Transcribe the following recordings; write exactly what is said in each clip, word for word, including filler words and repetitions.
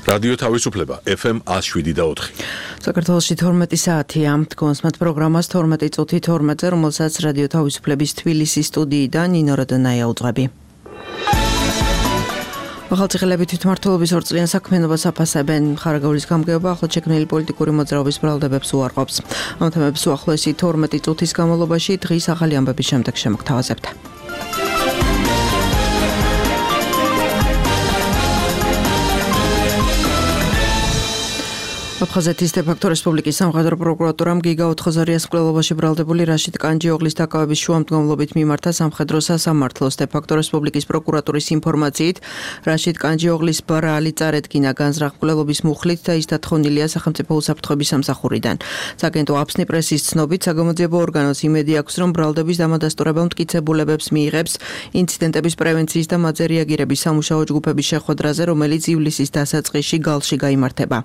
რადიო თავისუფლება ეფ ემ one oh seven და four. საქართველოში თორმეტი საათია. დგომს მათ პროგრამას თორმეტი წუთი თორმეტზე, რომელსაც რადიო თავისუფლების თბილისის სტუდიიდან ნინო როდანაია უძღვები. ახალციხელები თვითმმართველობის ორწლიან საქმიანობას აფასებენ. ხარაგაულის გამგეობა ახლად შექმნილი პოლიტიკური მოძრაობის ბრალდებებს უარყოფს. ამ თემებს უახლოესი თორმეტი წუთის განმავლობაში დღის ახალი ამბების შემდეგ შემოგთავაზებთ. აფხაზეთის დე-ფაქტო რესპუბლიკის სამხედრო პროკურატურამ გიგა ოთხოზარიას მკვლელობაში ბრალდებული რაშიდ კანჯიოღლის დაკავების შუამდგომლობით მიმართა სამხედრო სასამართლოს. დე-ფაქტო რესპუბლიკის პროკურატურის ინფორმაციით რაშიდ კანჯიოღლის ბრალი წარედგინა განზრახ მკვლელობის მუხლით და ის დათხოვნილია სახელმწიფო უსაფრთხოების სამსახურიდან. სააგენტო აფსნი პრესის ცნობით საგამოძიებო ორგანოს იმედი აქვს, რომ ბრალდების დამადასტურებელ მტკიცებულებებს მიიღებს ინციდენტების პრევენციის და მათზე რეაგირების სამუშაო ჯგუფების შეხვედრაზე, რომელიც ივლისის დასაწყისში გალში გაიმართება.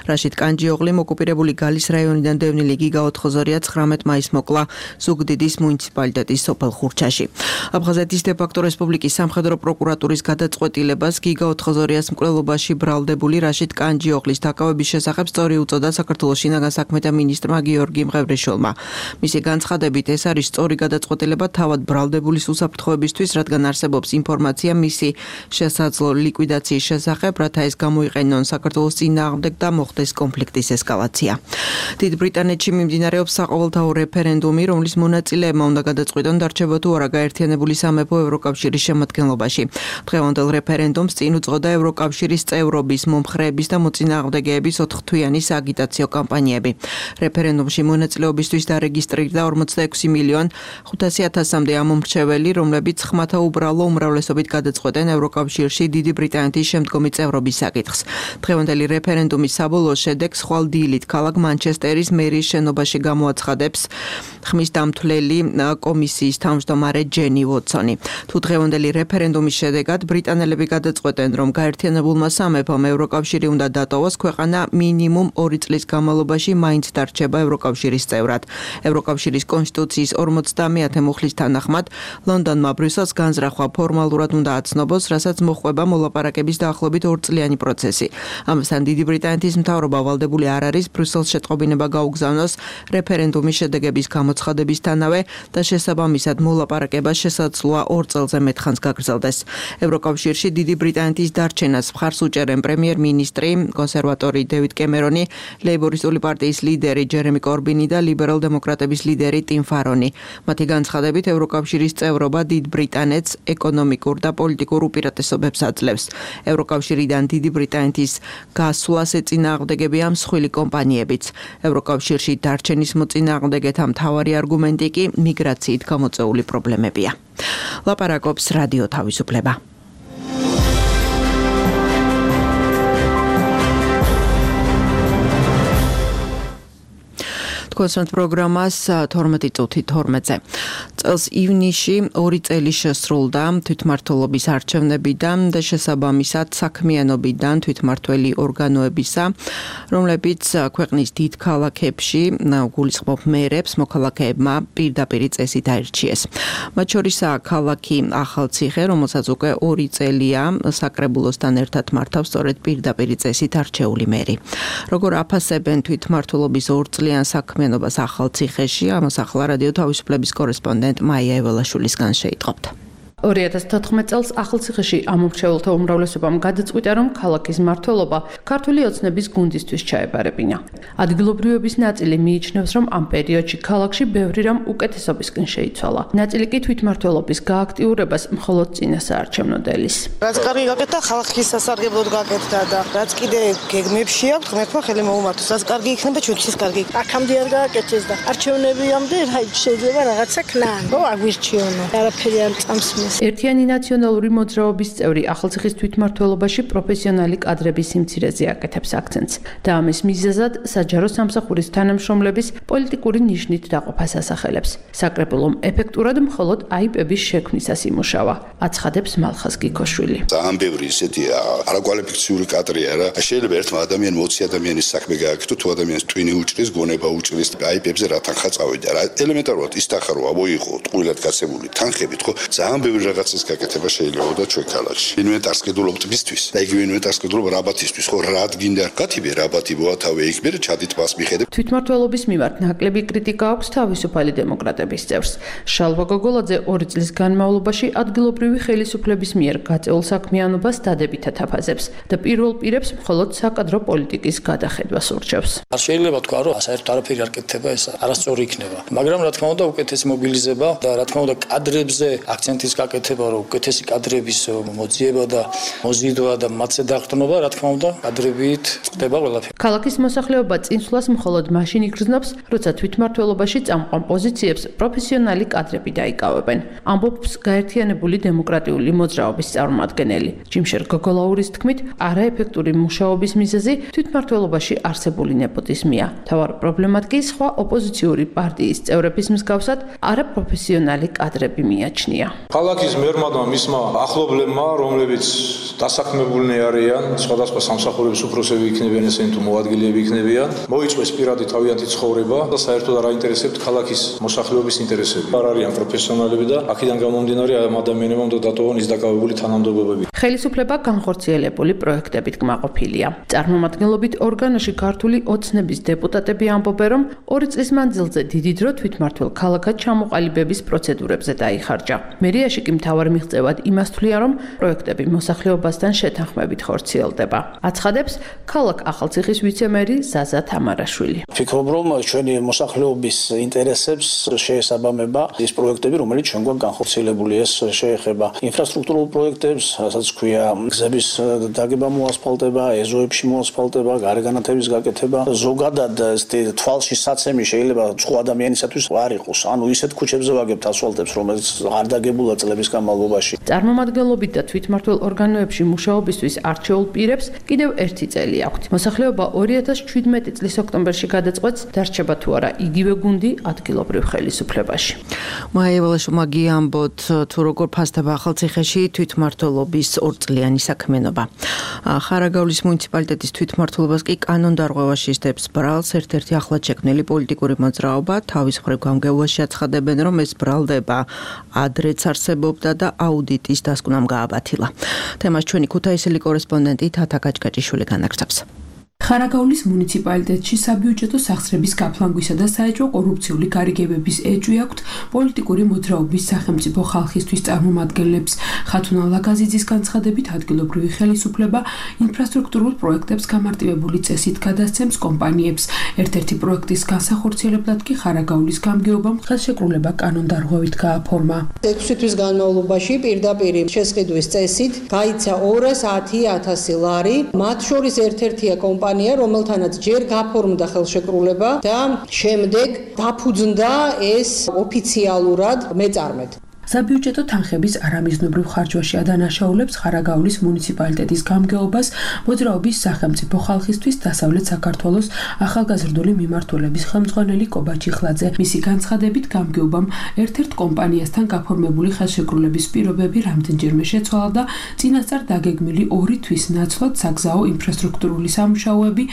რაშიდ კანჯიოღლი ოკუპირებული გალის რაიონიდან დევნილი გიგა ოთხოზარია ცხრამეტ მაისს მოკლა ზუგდიდის მუნიციპალიტეტის სოფელ ხურჩაში. აფხაზეთის დე-ფაქტო რესპუბლიკის სამხედრო პროკურატურის გადაწყვეტილებას გიგა ოთხოზარიას მკვლელობაში ბრალდებული რაშიდ კანჯიოღლის დაკავების შესახებ სწორი უწოდა საქართველოს შინაგან საქმეთა მინისტრმა გიორგი მღევრიშვილმა. მისი განცხადებით ეს არის სწორი გადაწყვეტილება თავად ბრალდებულის უსაფრთხოებისთვის, რადგან არსებობს ინფორმაცია მისი შესაძლო ლიკვიდაციის შესახებ, რათა ეს გამოიყენონ საქართველოს წინააღმდეგ და მოხდეს კონფლიქტის ესკალაცია. დიდ ბრიტანეთში მიმდინარეობს საყოველთაო რეფერენდუმი, რომლის მონაწილეებმა უნდა გადაწყვიტონ დარჩება თუ არა გაერთიანებული სამეფო ევროკავშირის შემადგენლობაში. დღევანდელ რეფერენდუმს წინ უძღოდა ევროკავშირის წევრობის, მომხრეების და მოწინააღმდეგეების ოთხთვიანი სააგიტაციო კამპანიები. რეფერენდუმში მონაწილეობისთვის დარეგისტრირდა ორმოცდაექვსი მილიონი ხუთასი ათასამდე ამომრჩეველი, რომლებიც ხმათა უბრალო უმრავლესობით გადაწყვეტენ ევროკავშირში დიდი ბრიტანეთის შემდგომი წევრობის საკითხს. დღევანდელი რეფერენდუმის საბოლოო შედეგს ხვალ დილით ქალაქ მანჩესტერის მერის შენობაში გამოაცხადებს ხმის დამთვლელი კომისიის თავმჯდომარე ჯენი ვოტსონი. თუ დღევანდელი რეფერენდუმის შედეგად ბრიტანელები გადაწყვეტენ, რომ გაერთიანებულმა სამეფომ ევროკავშირი უნდა დატოვოს, ქვეყანა მინიმუმ ორი წლის განმავლობაში მაინც დარჩება ევროკავშირის წევრად. ევროკავშირის კონსტიტუციის ორმოცდამეათე მუხლის თანახმად ლონდონმა ბრიუსელს განზრახვა ფორმალურად უნდა აცნობოს, რასაც მოჰყვება მოლაპარაკების დაახლოებით ორწლიანი პროცესი. ამასთან დიდი ბრიტანეთის მთავრობა ვალდებული არ არის ბრიუსელს შეტყობინება გაუგზავნოს რეფერენდუმის შედეგების გამოცხადებისთანავე და შესაბამისად მოლაპარაკება შესაძლოა ორ წელზე მეტხანს გაგრძელდეს. ევროკავშირში დიდი ბრიტანეთის დარჩენას მხარს უჭერენ პრემიერ-მინისტრი, კონსერვატორი დევიდ კემერონი, ლეიბორისტული პარტიის ლიდერი ჯერემი კორბინი და ლიბერალ-დემოკრატების ლიდერი ტიმ ფარონი. მათი განცხადებით ევროკავშირის წევრობა დიდ ბრიტანეთს ეკონომიკურ და პოლიტიკურ უპირატესობებს აძლევს. ევროკავშირიდან დიდი ბრიტანეთის გასვლას ეწინააღმდეგებია მსხვილი კომპანიებიც. ევროკავშირში დარჩენის მოწინააღმდეგეთა მთავარი არგუმენტი კი მიგრაციით გამოწვეული პრობლემებია. ლაპარაკობს რადიო თავისუფლება. კონსერტ პროგრამას თორმეტი წუთი თორმეტზე. წელს ივნისში ორი წელი შესრულდა თვითმმართველობის არჩევნებიდან და შესაბამისად საქმიანობიდან თვითმმართველი ორგანოებისა, რომლებიც ქვეყნის დიდ ქალაქებში გულისხმობ მერებს მოქალაქეებმა პირდაპირი წესით აირჩიეს. მათ შორისაა ქალაქი ახალციხე, რომელსაც უკვე ორი წელია საკრებულოსთან ერთად მართავს სწორედ პირდაპირი წესით არჩეული მერი. როგორ აფასებენ თვითმმართველობის ორწლიან საქმიანობას ნობას ახალციხეში, ამას ახლა რადიო თავისუფლების კორესპონდენტ მაია ეველაშვილისგან შეიტყობთ. ორი ათას თოთხმეტ წელს ახალციხეში ამომრჩეველთა უმრავლესობამ გადაწყვიტა, რომ ქალაქის მმართველობა ქართული ოცნების გუნდისთვის ჩაებარებინა. ადგილობრივების ნაწილი მიიჩნევს, რომ ამ პერიოდში ქალაქში ბევრი რამ უკეთესობისკენ შეიცვალა. ნაწილი კი თვითმმართველობის გააქტიურებას მხოლოდ წინასაარჩევნო-დელის. რაც კარგი გაკეთდა, ხალხის სასარგებლოდ გაკეთდა და რაც კიდე გეგმებში აქვს, ღმერთმა ხელი მოუმართოს. რაც კარგი იქნება, ჩვენთვის კარგი. აქამდე არ გააკეთეს და არჩევნებიამდე შეიძლება რაღაცა ქნან. ო აგვირჩიონო. არაფერი არ წამსმის. ერთიანი ნაციონალური მოძრაობის წევრი ახალციხის თვითმმართველობაში პროფესიონალი კადრების სიმცირეზე აკეთებს აქცენტს და ამის მიზეზად საჯარო სამსახურის თანამშრომლების პოლიტიკური ნიშნით დაყოფას ასახელებს. საკრებულომ ეფექტურად მხოლოდ აიპების შექმნისას იმუშავა, აცხადებს მალხაზ გიქოშვილი. ძალიან ბევრი ისეთი არაკვალიფიციური კადრია რა. შეიძლება ერთმა ადამიანმა ოცი ადამიანის საქმე გააკეთო, თუ ადამიანს ტვინი უჭრის, გონება უჭრის, აიპებზე რა თანხა წავიდა რა. ელემენტარულად ის თანხა რო მოიღო, ტყუილად გასებული თანხებით, ხო? ძალიან ბევრი რაღაცის გაკეთება შეიძლება და ჩვენ ქალაქში. ინვენტარს გედულობთ მისთვის და იგივე ინვენტარს გედულობ რაბათისთვის, ხო რა გინდა გათიბე რაბათი მოათავე იქ მე ჩადით მას მიხედებ. თვითმმართველობის მიმართ ნაკლები კრიტიკა აქვს თავისუფალი დემოკრატების წევრს. შალვა გოგოლაძე ორი წლის განმავლობაში ადგილობრივი ხელისუფლების მიერ გაწეულ საქმიანობას დადებითად აფასებს და პირველ პირებს მხოლოდ საკადრო პოლიტიკის გადახედვას ურჩევს. არ შეიძლება თქვა, რომ საერთოდ არაფერი არ კეთდება, ეს არასწორი იქნება. მაგრამ რა თქმა უნდა, უკეთესი მობილიზება და რა თქმა უნდა, კადრებზე აქცენტის გაკეთება, რომ უკეთესი კადრების მოძიება და მოზიდვა და მათზე დაყრდნობა, რა თქმა უნდა, კადრებით ხდება ყველაფერი. ქალაქის მოსახლეობა წინსვლას მხოლოდ მაშინ იგრძნობს, როცა თვითმმართველობაში წამყვან პოზიციებს პროფესიონალი კადრები დაიკავებენ. ამბობს გაერთიანებული დემოკრატიული მოძრაობის წარმომადგენელი. ჯიმშერ გოგოლაურის თქმით, არაეფექტური მუშაობის მიზეზი თვითმმართველობაში არსებული ნეპოტიზმია. თავარ პრობლემად კი სხვა ოპოზიციური პარტიის წევრების მსგავსად არაპროფესიონალი კადრები მიაჩნია. ქალაქის მერმა და მისმა ახლობლებმა, რომლებიც დასაქმებულნი არიან, სხვადასხვა სამსახურების უფროსები იქნებიან, ესენი თუ მოადგილეები იქნებიან, მოიწვეს პირადი თავიანთი ცხოვრება და საერთოდ არ აინტერესებთ ქალაქის მოსახლეობის ინტერესები. არ არიან პროფესიონალები და აქედან გამომდინარე ამ ადამიანებმა უნდა დატოვონ ის დაკავებული თანამდებობები. ხელისუფლება განხორციელებული პროექტებით კმაყოფილია. წარმომადგენლობით ორგანოში ქართული ოცნების დეპუტატები ამბობენ, რომ ორი წლის მანძილზე დიდი დრო თვითმმართველ ქალაქად ჩამოყალიბების პროცედურებზე დაიხარჯა. მერიაში კი მთავარ მიღწევად იმას თვლიან, რომ პროექტები მოსახლეობასთან შეთანხმებით ხორციელდება. აცხადებს ქალაქ ახალციხის ვიცე-მერი ზაზა თამარაშვილი. ვფიქრობ, რომ ჩვენი მოსახლეობის ინტერესებს შეესაბამება ის პროექტები, რომელიც ჩვენ გვაქვს განხორციელებული. ეს შეეხება ინფრასტრუქტურულ პროექტებს, რასაც ქვია გზების დაგება, მოასფალტება, ეზოებში მოასფალტება, გარეგანათების გაკეთება. ზოგადად თვალში საცემი შეიძლება სხვა ადამიანისათვის არ იყოს. ანუ ისეთ ქუჩებზე ვაგებთ ასფალტებს, რომელიც არ დაგებულა წლების განმავლობაში. წარმომადგენლობით და თვითმმართველ ორგანოებში მუშაობისთვის არჩეულ პირებს კიდევ ერთი წელი აქვთ. მოსახლეობა ორი ათას შვიდმეტი წლის ოქტომბერში გადაწყვეტს, დარჩება თუ არა იგივე გუნდი ადგილობრივ ხელისუფლებაში. მაია ველაშვილმა გიამბოთ, თუ როგორ ფასდება ახალციხეში თვითმმართველობის ორწლიანი საქმიანობა. ხარაგაულის მუნიციპალიტეტის თვითმმართველობას კი კანონდარღვევა ისდებს ბრალს. ერთ-ერთი ახლად შექმნილი პოლიტიკური მოძრაობა თავის მხრივ გამგეობაში აცხადებენ, რომ ეს ბრალდება ადრეც არსებობდა და აუდიტის დასკვნამ გააბათილა. თემას ჩვენი ქუთაისელი კორესპონდენტი თათა გაჭკაჭიშვილი განაგრძობს. ხარაგაულის მუნიციპალიტეტში საბიუჯეტო სახსრების გაფლანგვისა და საეჭვო კორუფციული გარიგებების ეჭვი აქვთ პოლიტიკური მოძრაობის სახელმწიფო ხალხისთვის წარმომადგენლებს. ხათუნა ლაგაზიძის განცხადებით, ადგილობრივი ხელისუფლება ინფრასტრუქტურულ პროექტებს გამარტივებული წესით გადასცემს კომპანიებს. ერთ-ერთი პროექტის განსახორციელებლად კი ხარაგაულის გამგეობამ ხელშეკრულება კანონდარღვევით გააფორმა. ექვსი თვის განმავლობაში პირდაპირ შესყიდვის წესით გაიცა ორას ათი ათასი ლარი, მათ შორის ერთ-ერთია კომპანია, რომელთანაც ჯერ გაფორმდა ხელშეკრულება და შემდეგ დაფუძნდა ეს ოფიციალურად მეწარმედ. საბიუჯეტო თანხების არამიზნობრივ ხარჯვაში ადანაშაულებს ხარაგაულის მუნიციპალიტეტის გამგეობას მოძრაობის სახელმწიფო ხალხისთვის დასავლეთ საქართველოს ახალგაზრდული მიმართულების ხელმძღვანელი კობა ჩიხლაძე. მისი განცხადებით, გამგეობამ ერთ-ერთ კომპანიასთან გაფორმებული ხელშეკრულების პირობები რამდენჯერმე შეცვალა და წინასწარ დაგეგმილი ორი თვის ნაცვლად საგზაო ინფრასტრუქტურული სამუშაოები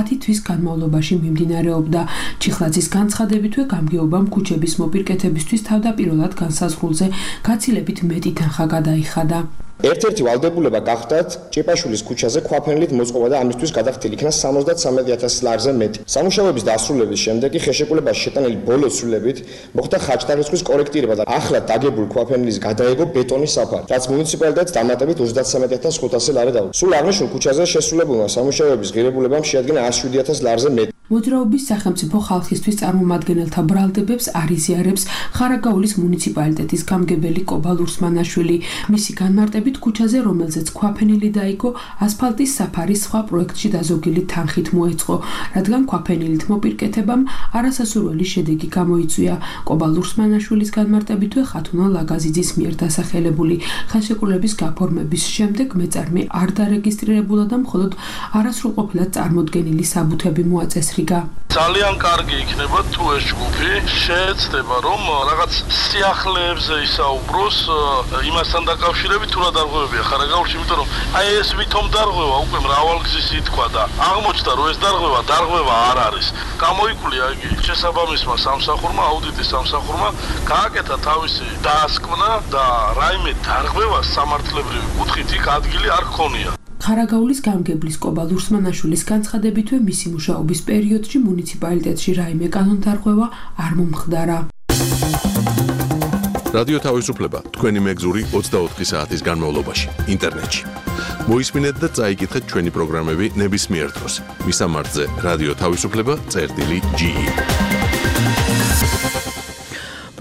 ათი თვის განმავლობაში მიმდინარეობდა. ჩიხლაძის განცხადებითვე გამგეობამ ქუჩების მოპირკეთებისთვის თავდაპირველად განსაზღვრულზე გაცილებით მეტი თანხა გადაიხადა. ერთ-ერთი ვალდებულება გახდათ ჭეპაშვილის ქუჩაზე ქვაფენილით მოწყობა და ამისთვის გადახდილი იქნა სამოცდათსამეტი ათასი ლარზე მეტი. სამუშაოების დასრულების შემდეგ კი ხელშეკრულებაში შეტანილი ბოლო ცვლილებით მოხდა ხარჯთარიცხვის კორექტირება და ახლად დაგებულ ქვაფენილის გადაეგო ბეტონის საფარი, რაც მუნიციპალიტეტს დამატებით ოცდათსამეტი ათას ხუთასი ლარი დაუწყო. სულ აღნიშნულ ქუჩაზე შესრულებულმა სამუშაოების ღირებულებამ შეადგინა εκατს შვიდი ათას ლარზე მეტი. მოძრაობის სახელმწიფო ხალხისთვის წარმომადგენელთა ბრალდებებს არიზიარებს ხარაგაულის მუნიციპალიტეტის გამგებელი კობა ლურსმანაშვილი. მისი განმარტებით, ქუჩაზე, რომელზეც ქვაფენილი დაიგო, ასფალტის საფარი სხვა პროექტში დაზოგილი თანხით მოეწყო, რადგან ქვაფენილით მოპირკეთებამ არასასურველი შედეგი გამოიწვია. კობა ლურსმანაშვილის განმარტებითვე, ხათუნა ლაგაზიძის მიერ დასახელებული ხელშეკრულების გაფორმების შემდეგ მეწარმე არ დარეგისტრირებულა და მხოლოდ არასრულყოფილად წარმოდგენილი საბუთები მოაწესრია. დარღიგა. ძალიან კარგი იქნება თუ ეს ჯგუფი შეეცდება რომ რაღაც სიახლეებზე ისაუბროს იმასთან დაკავშირებით თუ რა დარღვევებია ხარაგაულში, იმიტომ რომ აი ეს ვითომ დარღვევა უკვე მრავალგზის ითქვა და აღმოჩნდა რომ ეს დარღვევა დარღვევა არ არის. გამოიკვლია იგი შესაბამისმა სამსახურმა, აუდიტის სამსახურმა გააკეთა თავისი დაასკვნა და რაიმე დარღვევას სამართლებრივი კუთხით იქ ადგილი არ ჰქონია. ხარაგაულის გამგებლის კობა ლურსმანაშვილის განცხადებითვე მისი მუშაობის პერიოდში მუნიციპალიტეტში რაიმე კანონდარღვევა არ მომხდარა. რადიო თავისუფლება თქვენი მეგზური ოცდაოთხი საათის განმავლობაში ინტერნეტში. მოისმინეთ და წაიკითხეთ ჩვენი პროგრამები ნებისმიერ დროს. მისამართზე რადიო თავისუფლება წერტილი ჯი ი.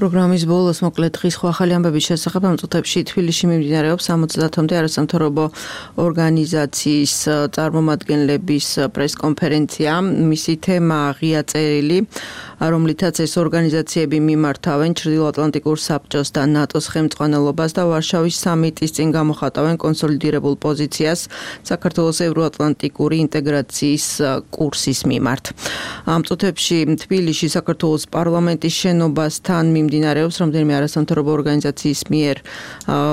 პროგრამის ბოლოს მოკლედ დღის სხვა ახალი ამბების შესახებ ამ წუთებში თბილისში მიმდინარეობს სამოცდაათამდე არასამთავრობო ორგანიზაციის წარმომადგენლების პრესკონფერენცია. მისი თემა ღია წერილი, რომლითაც ეს ორგანიზაციები მიმართავენ ჩრდილოატლანტიკურ საბჭოს და ნატოს ხელმძღვანელობას და ვარშავის სამიტის წინ გამოხატავენ კონსოლიდირებულ პოზიციას საქართველოს ევროატლანტიკური ინტეგრაციის კურსის მიმართ. ამ წუთებში თბილისში საქართველოს პარლამენტის შენობასთან მიმდინარეობს რამდენიმე არასამთავრობო ორგანიზაციის მიერ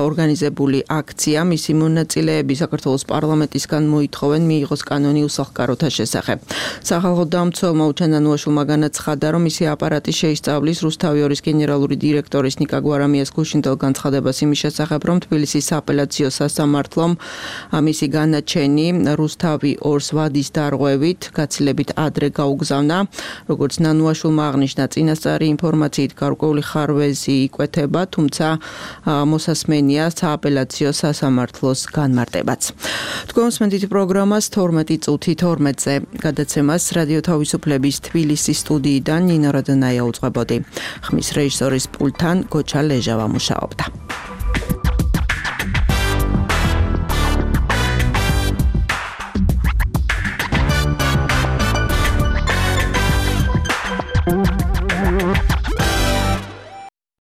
ორგანიზებული აქცია. მისი მონაწილეები საქართველოს პარლამენტისგან მოითხოვენ მიიღოს კანონი უსახლკაროთა შესახებ. სახალხო დამცველმა უჩანანუაშვილმა განაცხადა, რომ მისი აპარატი შეისწავლის რუსთავი-ორის გენერალური დირექტორის ნიკა გვარამიას გუშინდელ განცხადებას იმის შესახებ, რომ თბილისის სააპელაციო სასამართლომ მისი განაჩენი რუსთავი-ორს ვადის დარღვევით გაცილებით ადრე გაუგზავნა. როგორც ნანუაშვილმა აღნიშნა, წინასწარი ინფორმაციით გარკვეული ხარვეზი იკვეთება, თუმცა მოსასმენია სააპელაციო სასამართლოს განმარტებაც. თქვენ უსმენთ პროგრამას თორმეტი წუთი თორმეტზე. გადაცემას რადიო თავისუფლების თბილისის სტუდიიდან ნინო რადონაია უძღვებოდი. ხმის რეჟისორის პულტთან გოჩა ლეჟავა მუშაობდა.